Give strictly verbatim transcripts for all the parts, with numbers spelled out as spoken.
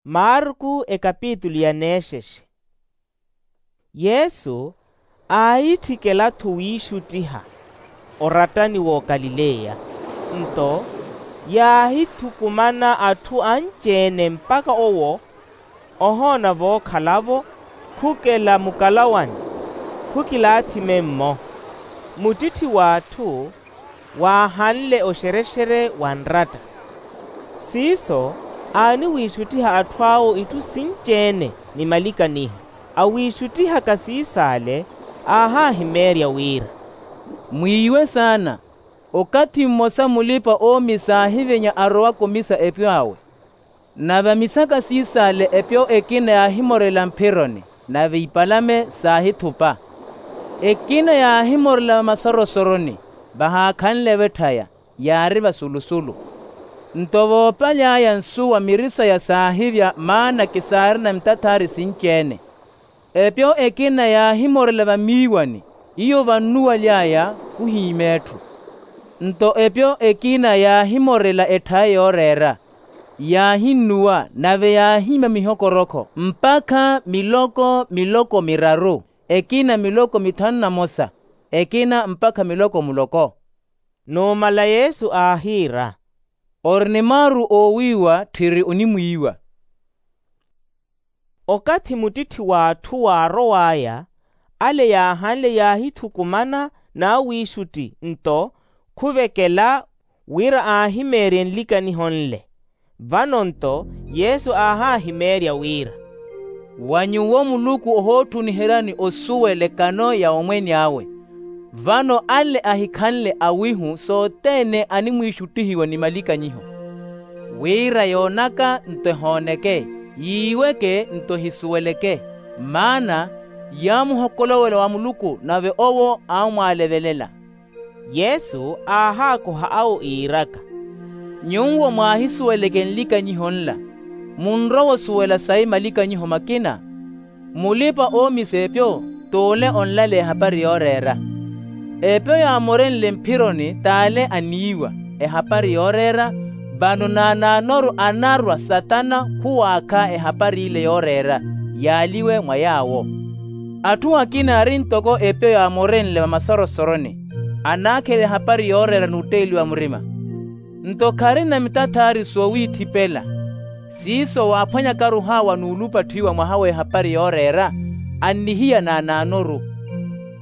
Marku ekapitulu ya neexexe. Yesu aahitthikel'atthu wiixuttiha orattani w'okalileya. Nto yaahithukumana atthu anci-ene mpakha owo ohoona vookhalavo khukela mukalawani khukilaathi memmo. Muttitthi w'atthu waahanle oxerexere wa nratta. Siiso aaniwiixuttiha atthu awo itthu sinci-ene ni malikaniho. Awiixuttihaka siis'ale aahaahimeerya wira, mwiiwe saana. Okathi mmosa mulipa-oomisa aahivenya arowaka omisa epyo awe. Nave amisaka siis'ale epyo ekina yaahimorela mphironi, nave ipalame saahithupa. Ekina yaahimorela vamasarosoroni, vahaakhanle-vo etthaya, yaari vasulusulu. Nto voopaly'aya nsuwa miri saya saahivya, maana kisaarina mitathaari sinci-ene. Epyo ekina yaahimorela vamiiwani, iyo vannuwaly'aya khuhiima etthu. Nto epyo ekina yaahimorela etthaya yooreera, yaahinnuwa, nave yaahiima mihokorokho mpakha miloko miloko miraru, ekina miloko mithanu na mosa, ekina mpakha miloko muloko. Numala yesu aahiira, ori ni maaru oowiiwa tthiri onimwiiwa. Okathi muttitthi w'atthu waarow'aya, ale yaahanle yaahithukumana n'awiixutti nto khuvekela wira aahimeerye nlikaniho nle. Vano nto yesu aahaahimeerya wira, wa nyuwo muluku ohootthuniheryani osuwela ekano ya omwene awe. Vano ale ahikhanle awihu sothene animwiixuttihiwa ni malikanyiho, wira yoonaka nto ehooneke, yiiweke nto ehisuweleke. Maana yaamuhokolowela wa muluku nave owo aamwaalevelela. Yesu aahaakoha awo iiraka, nyuwo mwaahisuweleke nlikanyiho nla, munrowa osuwela sayi malikanyiho makina. Mulipa-oomisa epyo t'ule onlaleya ehapari yooreera. Epyo yaamorenle mphironi t'ale aniiwa ehapari yooreera. Vano naanaanoru anarwa satana khuwaakha ehapari ile yooreera, yaaliwe mwa yaawo. Atthu akina ari ntoko epyo yaamorenle vamasarosoroni, anaakhela ehapari yooreera n'utteeliwa murima. Nto kharina mitathaari soowiithipela. Siiso waaphwanyaka ruhaawa n'ulupatthiwa mwaha w'ehapari yooreera, annihiya naanaanoru.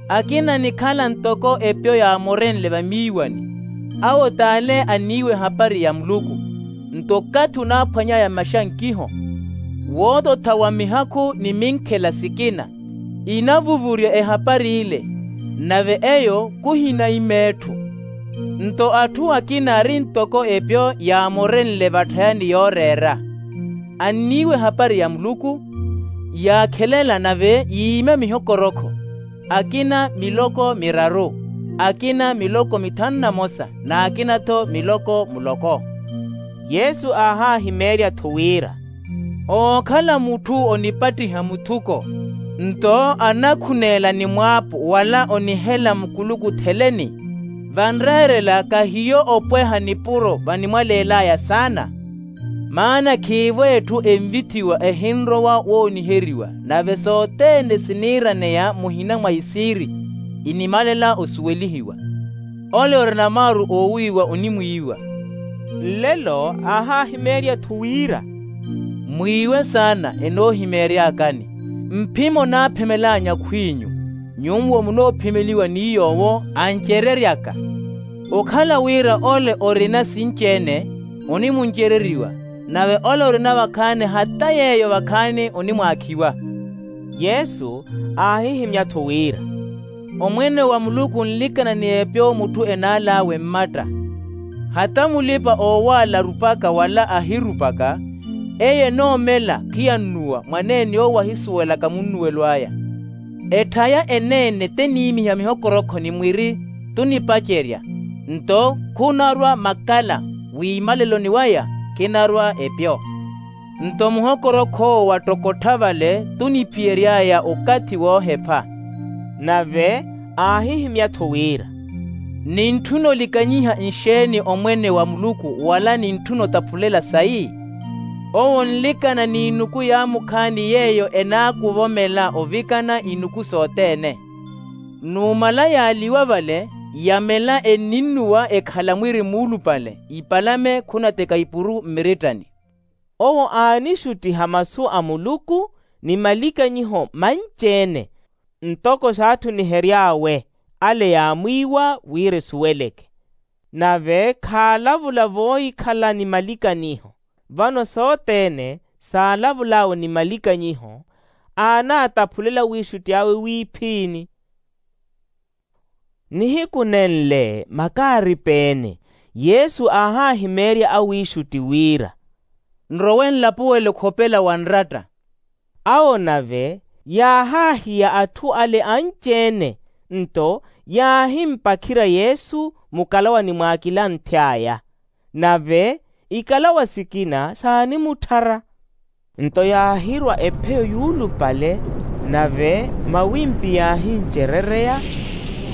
Akina anikhala ntoko epyo yaamorenle vamiiwani, awo t'ale aniiwa ehapari ya muluku. Nto okathi onaaphwany'aya maxankiho, woototha wa mihakhu ni minkhela sikina, inavuvurya ehapari ile, nave eyo khuhinaima etthu. Nto atthu akina ari ntoko epyo yaamorenle vatthayani yooreera, anniiwa ehapari ya muluku, yaakhelela nave yiima mihokorokho, akina miloko miraru, akina miloko mithanu na mosa, n'akina-tho miloko muloko. Yesu aahaahimeerya-tho wira, ookhala mutthu onipattiha muthuko, nto anakhuneela ni mwaapu wala onihela mukuluku theleni, vanreerela kahiyo opweha nipuro vanimwaleel'aya saana. Maana khiivo etthu envithiwa ehinrowa wooniheriwa, nave sothene siniiraneya muhina mwa isiiri, inimalela osuwelihiwa. Ole orina maaru oowiiwa onimwiiwa. Nlelo aahaahimeerya-tho wira, mwiiwe saana enoohimeery'akani. Mphimo naaphimel'anyu akhw'inyu, nyuwo munoophimeliwa ni yoowo ancereryaka. Okhala wira ole orina sinci-ene, onimuncereriwa, nave ole orina vakhaani hata yeeyo vakhaani onimwaakhiwa. Yesu aahihimya-tho wira, omwene wa muluku onlikana ni epyo mutthu enaal'awe mmatta. Hata mulipa-oowaala arupaka wala ahirupaka, eyo enoomela khiyann'uwa mwaneene owo ahisuwelaka munnuwelo aya. Etthaya eneene teniimiha mihokorokho ni mwiri, tunipacerya, nto khunarwa makala, wiimaleloni waya khinarwa epyo. Nto muhokorokho owo wattokottha vale tuniphiyery'aya okathi woohepha. Nave aahihimya-tho wira, nintthuna olikanyiha nxeeni omwene wa muluku wala nintthuna otaphulela sayi? Owo onlikana n'inuku yaamukhaani yeeyo enaakuvomela ovikana inuku sothene. Numala yaaliwa vale, yamela enninnuwa ekhala mwiri muulupale ipalame khunateka ipuru mmirittani. Owo aanixuttiha masu a muluku ni malikanyiho manci-ene, ntoko saatthunihery'awe ale yaamwiiwa wira esuweleke. Nave khaalavula voohikhala ni malikaniho. Vano sothene saalavul'awe ni malikanyiho, aanaataphulela wiixutti awe wiiphiini. Nihiku nenle makaaripeene, yesu aahaahimeerya awiixutti wira, nrowe nlapuwele okhopela wa nratta. Awo nave yaahaahiya atthu ale anci-ene, nto yaahimpakhirya yesu mukalawani mw'akilanthe aya. Nave ikalawa sikina saanimutthara. Nto yaahirwa epheyo yuulupale, nave mawimpi yaahincerereya,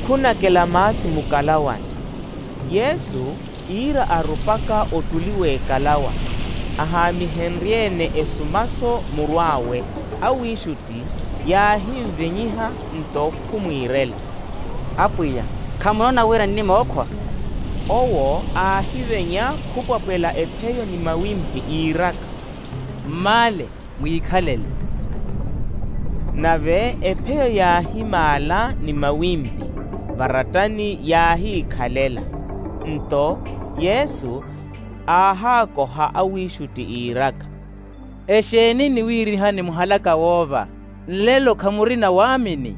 khunakela maasi mukalawani. Yesu iira arupaka ottuli w'ekalawa, ahaamihenrye-ene esumaso murw'awe, awiixutti yaahinvenyiha nto khumwiirela, apwiya, khamunoona wira nnimookhwa? Owo aahivenya khupwapwela epheyo ni mawimpi iiraka, mmaale, mwiikhalele. Nave epheyo yaahimaala ni mawimpi, varattani yaahiikhalela. Nto yesu aahaakoha awiixutti iiraka, exeeni niwiirihani muhalaka woova? Nlelo khamurina waamini.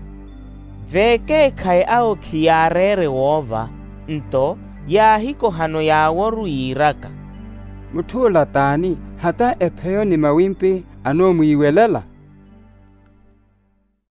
Vekeekhayi awo khiyaareere woova, nto yaahikohano yaaworu yiiraka, mutth'ula t'ani hata epheyo ni mawimpi anoomwiiwelela?